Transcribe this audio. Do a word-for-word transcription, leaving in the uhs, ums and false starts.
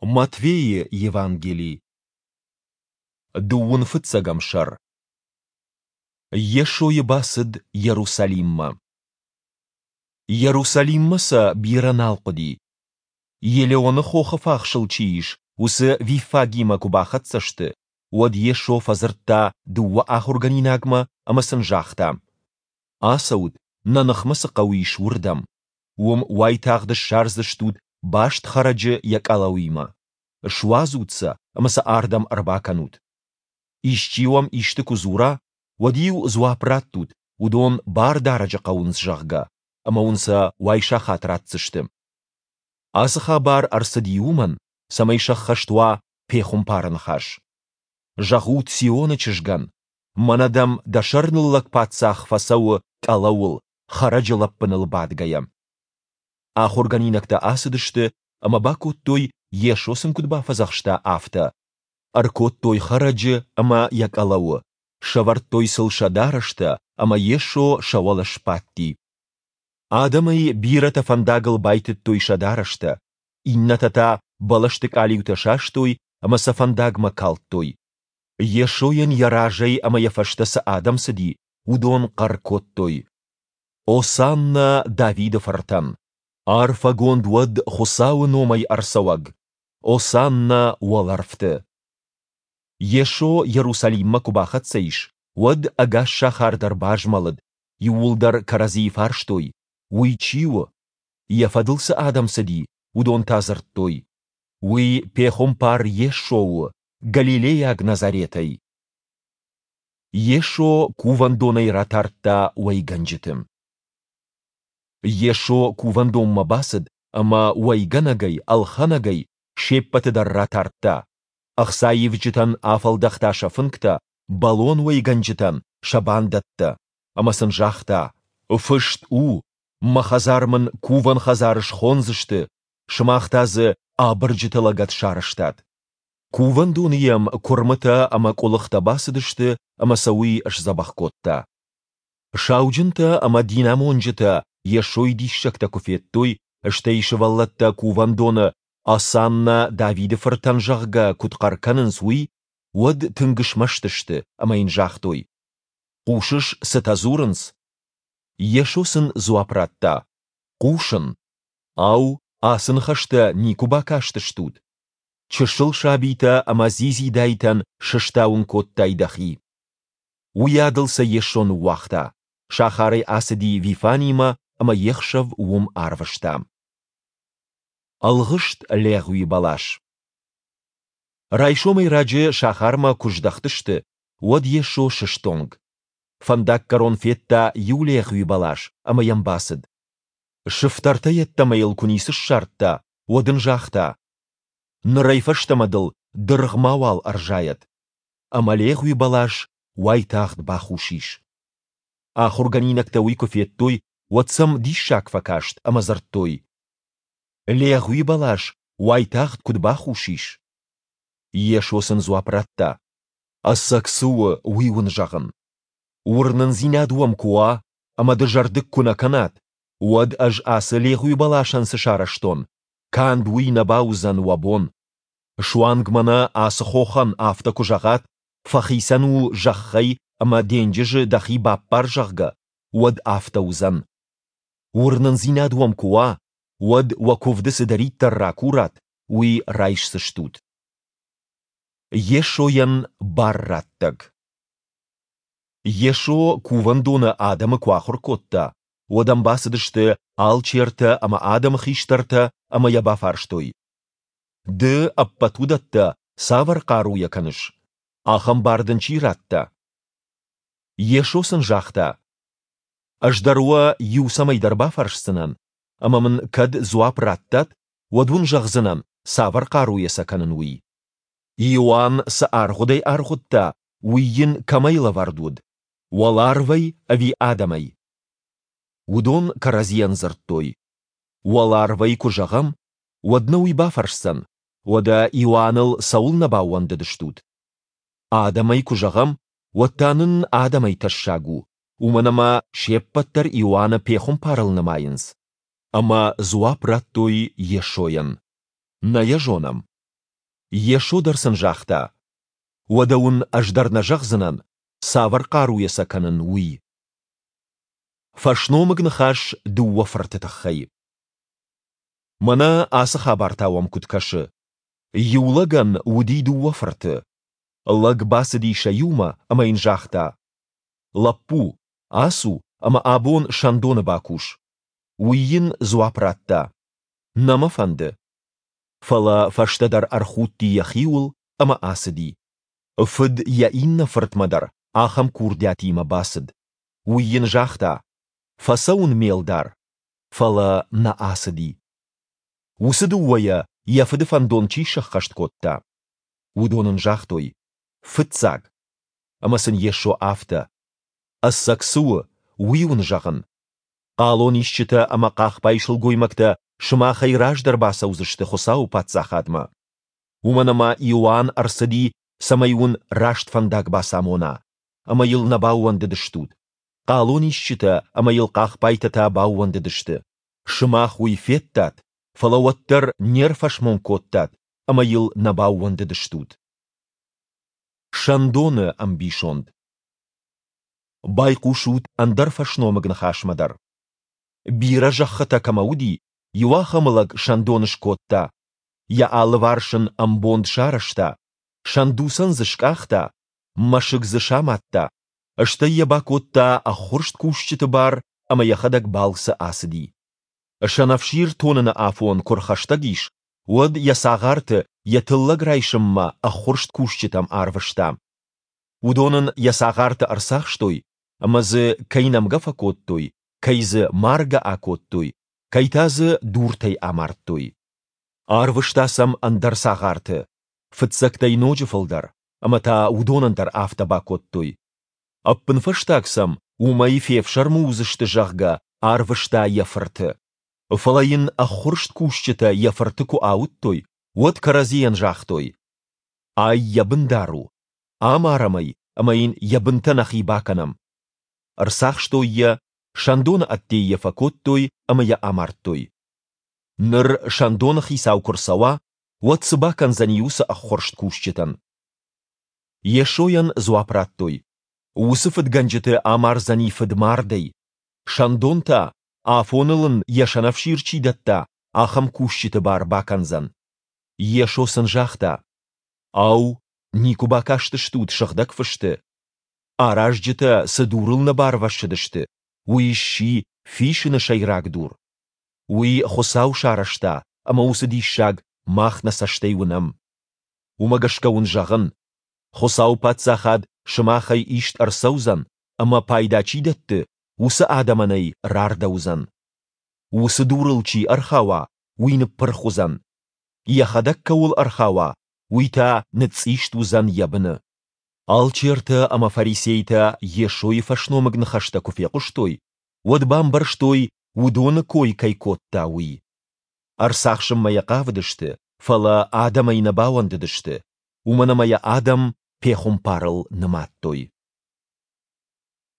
Матфейы Евангели, дыууын фыццӕгӕм сӕр. Йесойы бацыд Иерусалиммӕ. Иерусалиммӕ сӕ бирӕ нал хъуыди. Елеоны хохы фахсыл чи ис, уыцы Виффагимӕ куы бахӕццӕ сты, уӕд Йесо фӕдзырдта дыууӕ ахуыргӕнинагмӕ ӕмӕ сын загъта: Ацӕут, нӕ ныхмӕ цы хъӕу ис, уырдӕм. Уым уайтагъд ссардзыстут баст хӕрӕджы йӕ къӕлӕуимӕ. Суадзут сӕ ӕмӕ сӕ ардӕм ӕрбакӕнут. Исчи уӕм исты куы дзура, уӕд-иу дзуапп раттут, уыдон Бардарӕджы хъӕуынц, зӕгъгӕ, ӕмӕ уын сӕ уайсахат ратдзысты. Ацы хабар ӕрцыди уымӕн, цӕмӕй сӕххӕст уа пехуымпары ныхас. Зӕгъут Сионы чызгӕн, мӕнӕ дӕм дӕ сӕрныллӕг паддзах фӕцӕуы къӕлӕуыл, хӕрӕджы лӕппыныл бадгӕйӕ. Ахуыргӕнинӕгтӕ ацыдысты ӕмӕ бакодтой, Йесо сын куыд бафӕдзӕхста, афтӕ. Ӕркодтой хӕрӕджы ӕмӕ йӕ къӕлӕуы, сӕвӕрдтой сыл сӕ дарӕстӕ, ӕмӕ Йесо сӕ уӕлӕ сбадти. Адӕмӕй бирӕтӕ фӕндагыл байтыдтой сӕ дарӕстӕ, иннӕтӕ та бӕлӕсты къалиутӕ састой ӕмӕ сӕ фӕндагмӕ калдтой. Йесойӕн йӕ разӕй ӕмӕ йӕ фӕстӕ цы адӕм цыди, уыдон хъӕр кодтой: Осанна Давиды фыртӕн! Арфӕгонд уӕд Хуыцауы номӕй ӕрцӕуӕг! Осанна уӕлӕрвты! Йесо Иерусалиммӕ куы бахӕццӕ ис, уӕд ӕгас сахар дӕр базмӕлыд, иууылдӕр кӕрӕдзийы фарстой, уый чи у? Йӕ фӕдыл цы адӕм цыди, уыдон та дзырдтой: Уый пехуымпар Йесо у, галилейаг Назаретӕй. Йесо кувӕндонӕй ратардта уӕйгӕнджыты. Йесо кувӕндонмӕ бацыд ӕмӕ уӕйгӕнӕгӕй, ӕлхӕнӕгӕй се ппӕты дӕр ратардта. Ӕхцаивджытӕн афӕлдӕхта сӕ фынгтӕ, бӕлон уӕйгӕнджытӕн сӕ бандӕттӕ, ӕмӕ сын загъта: Фыст у, мӕ хӕдзар мын кувӕн хӕдзар схондзысты, сымах та дзы абырджыты лӕгӕт сарӕзтат. Кувӕндоны йӕм куырмытӕ ӕмӕ къуылыхтӕ бацыдысты, ӕмӕ сӕ уый сдзӕбӕх кодта. Сауджынтӕ ӕмӕ динамонджытӕ Йесойы диссӕгтӕ куы федтой, стӕй сывӕллӕттӕ кувӕндоны «Осанна Давиды фыртӕн», зӕгъгӕ, куыд хъӕр кӕнынц, уый, уӕд тынг смӕсты сты ӕмӕ йын загътой: Хъусыс, цытӕ дзурынц? Йесо сын дзуапп радта: Хъусын. Ау, ацы ныхӕстӕ никуы бакастыстут? Чысыл сабитӕ ӕмӕ дзидзидайтӕн сыстауын кодтай дӕхи. Уыйадыл сӕ Йесо ныууагъта, сахарӕй ацыди Вифанимӕ ӕмӕ йе хсӕв уым арвыста. Ӕлгъыст легъуи бӕлас. Райсомӕй раджы сахармӕ куы здӕхтысты, уӕд Йесо сыстонг. Фӕндаггӕрон федта иу легъуи бӕлас ӕмӕ йӕм бацыд. Сыфтӕртӕ йеддӕмӕ йыл куы ницы ссардта, уӕд ын загъта: Нырӕй фӕстӕмӕ дыл дыргъ мауал ӕрзайӕд. Ӕмӕ легъуи бӕлас уайтагъд бахус ис. Ахуыргӕнинӕгтӕ уый куы федтой, уӕд сӕм диссаг фӕкаст ӕмӕ дзырдтой: Легъуи бӕлас уайтагъд куыд бахус ис? Йесо сын дзуапп радта: Ӕцӕг цы у, уый уын зӕгъын. Уырнындзинад уӕм куы уа ӕмӕ дызӕрдыг куы нӕ кӕнат, уӕд ӕз ацы легъуи бӕласӕн цы сарӕзтон, канд уый нӕ бауыдзӕн уӕ бон. Суанг мӕнӕ ацы хохӕн афтӕ куы зӕгъат, фӕхицӕн у зӕххӕй ӕмӕ денджызы дӕхи баппар, зӕгъгӕ, уӕд афтӕ уыдзӕн. Уырнындзинад уӕм куы уа, уӕд уӕ куывды цыдӕриддӕр ракурат, уый райсдзыстут. Йесойӕн бар раттӕг. Йесо кувӕндоны адӕмы куы ахуыр кодта, уӕд ӕм бацыдысты алчертӕ ӕмӕ адӕмы хистӕртӕ ӕмӕ йӕ бафарстой: Ды ӕппӕт уыдӕттӕ цавӕр хъаруйӕ кӕныс? Ахӕм бар дын чи радта? Йесо сын загъта: Ӕз дӕр уӕ иу цӕмӕйдӕр бафӕрсдзынӕн, ӕмӕ мын кӕд дзуапп раттат, уӕд уын зӕгъдзынӕн, цавӕр хъаруйӕ сӕ кӕнын, уый. Иоанн цы аргъуыдӕй аргъуыдта, уый йын кӕмӕй лӕвӕрд уыд? Уӕларвӕй ӕви адӕмӕй? Уыдон кӕрӕдзийӕн дзырдтой: Уӕларвӕй куы зӕгъӕм, уӕд нӕ уый бафӕрсдзӕн, уӕдӕ Иоанныл цӕуылнӕ баууӕндыдыстут? Адӕмӕй куы зӕгъӕм, уӕд та нын адӕмӕй тӕссаг у, уымӕн ӕмӕ се ппӕт дӕр Иоанны пехуымпарыл нымайынц. Ӕмӕ дзуапп радтой Йесойӕн: Нӕ йӕ зонӕм. Йесо дӕр сын загъта, Уӕдӕ уын ӕз дӕр нӕ зӕгъдзынӕн, цавӕр хъаруйӕ сӕ кӕнын, уый. Фӕсномыг ныхас дыууӕ фырты тыххӕй. Мӕнӕ ацы хабар та уӕм куыд кӕсы? Иу лӕгӕн уыди дыууӕ фырты. Лӕг бацыди сӕ иумӕ ӕмӕ йын загъта: Лӕппу, ацу ӕмӕ абон сӕндоны бакус. Уый йын дзуапп радта: Нӕ мӕ фӕнды. Фӕлӕ фӕстӕдӕр ӕрхудти йӕхиуыл ӕмӕ ацыди. Фыд йӕ иннӕ фыртмӕ дӕр ахӕм курдиатимӕ бацыд. Уый йын загъта: Фӕцӕуын, ме лдар, фӕлӕ нӕ ацыди. Уыцы дыууӕйӕ йӕ фыды фӕндон чи сӕххӕст кодта? Уыдон ын загътой: Фыццаг. Ӕмӕ сын Йесо афтӕ: Ӕцӕг цы у, уый уын зӕгъын: хъалонисджытӕ ӕмӕ хъахбай сылгоймӕгтӕ сымахӕй раздӕр бацӕудзысты Хуыцауы Паддзахадмӕ. Уымӕн ӕмӕ Иоанн ӕрцыди, цӕмӕй уын раст фӕндаг бацамона, ӕмӕ йыл нӕ баууӕндыдыстут. Хъалонисджытӕ ӕмӕ йыл хъахбайтӕ та баууӕндыдысты. Сымах уый федтат, фӕлӕ уӕддӕр не рфӕсмон кодтат ӕмӕ йыл нӕ баууӕндыдыстут. Сӕндоны ӕмбисонд. Байхъусут ӕндӕр фӕсномыг ныхасмӕ дӕр. Бирӕ зӕххытӕ кӕмӕ уыди, иу ахӕм лӕг сӕндон скодта. Йӕ алыварс ын ӕмбонд сарӕзта, сӕндуцӕн дзы скъахта, мӕсыг дзы самадта, стӕй йӕ бакодта ӕххуырст кусджыты бар ӕмӕ йӕхӕдӕг балцы ацыди. Сӕнӕфсир тоныны афон куы рхӕстӕг ис, уӕд йӕ цагъарты йӕ тыллӕг райсынмӕ ӕххуырст кусджытӕм арвыста. Уыдон ын йӕ цагъарты ӕрцахстой ӕмӕ дзы кӕй нӕмгӕ фӕкодтой, кӕй дзы маргӕ акодтой, кӕй та дзы дуртӕй амардтой. Арвыста сӕм ӕндӕр цагъарты, фыццӕгтӕй ноджы фылдӕр, ӕмӕ та уыдонӕн дӕр афтӕ бакодтой. Ӕппынфӕстаг сӕм, уымӕй фефсӕрмы уыдзысты, зӕгъгӕ, арвыста йӕ фырты. Фӕлӕ йын ӕххуырст кусджытӕ йӕ фырты куы ауыдтой, уӕд кӕрӕдзийӕн загътой: Ай йӕ бындар у, амарӕм ӕй ӕмӕ йын йӕ бынтӕ нӕхи бакӕнӕм. Ӕрцахстой йӕ, сӕндоны ӕдде йӕ фӕкодтой ӕмӕ йӕ амардтой. Ныр сӕндоны хицау куы рцӕуа, уӕд цы бакӕндзӕни уыцы ӕххуырст кусджытӕн? Йесойӕн дзуапп радтой: Уыцы фыдгӕнджыты амардзӕни фыдмардӕй, сӕндон та, афоныл ын йӕ сӕнӕфсир чи дӕтта, ахӕм кусджыты бар бакӕндзӕн. Йесо сын загъта: Ау, никуы бакастыстут Сыгъдӕг Фысты? Аразджытӕ цы дурыл нӕ барвӕссыдысты, уый сси фисыны сӕйраг дур. Уый Хуыцау сарӕзта, ӕмӕ уыцы диссаг мах нӕ цӕстӕй уынӕм. Уымӕ гӕсгӕ уын зӕгъын, Хуыцауы Паддзахад сымахӕй ист ӕрцӕудзӕн ӕмӕ пайда чи дӕтты, уыцы адӕмӕн ӕй рардӕуыдзӕн. Уыцы дурыл чи ӕрхауа, уый ныппырх уыдзӕн. Йӕхӕдӕг кӕуыл ӕрхауа, уый та ныцъцъист уыдзӕн йӕ быны. Алчертӕ ӕмӕ фарисейтӕ Йесойы фӕсномыг ныхӕстӕ куы фехъуыстой, уӕд бамбӕрстой, уыдоны кой кӕй кодта, уый. Ӕрцахсынмӕ йӕ хъавыдысты, фӕлӕ адӕмӕй нӕ бауӕндыдысты, уымӕн ӕмӕ йӕ адӕм пехуымпарыл нымадтой.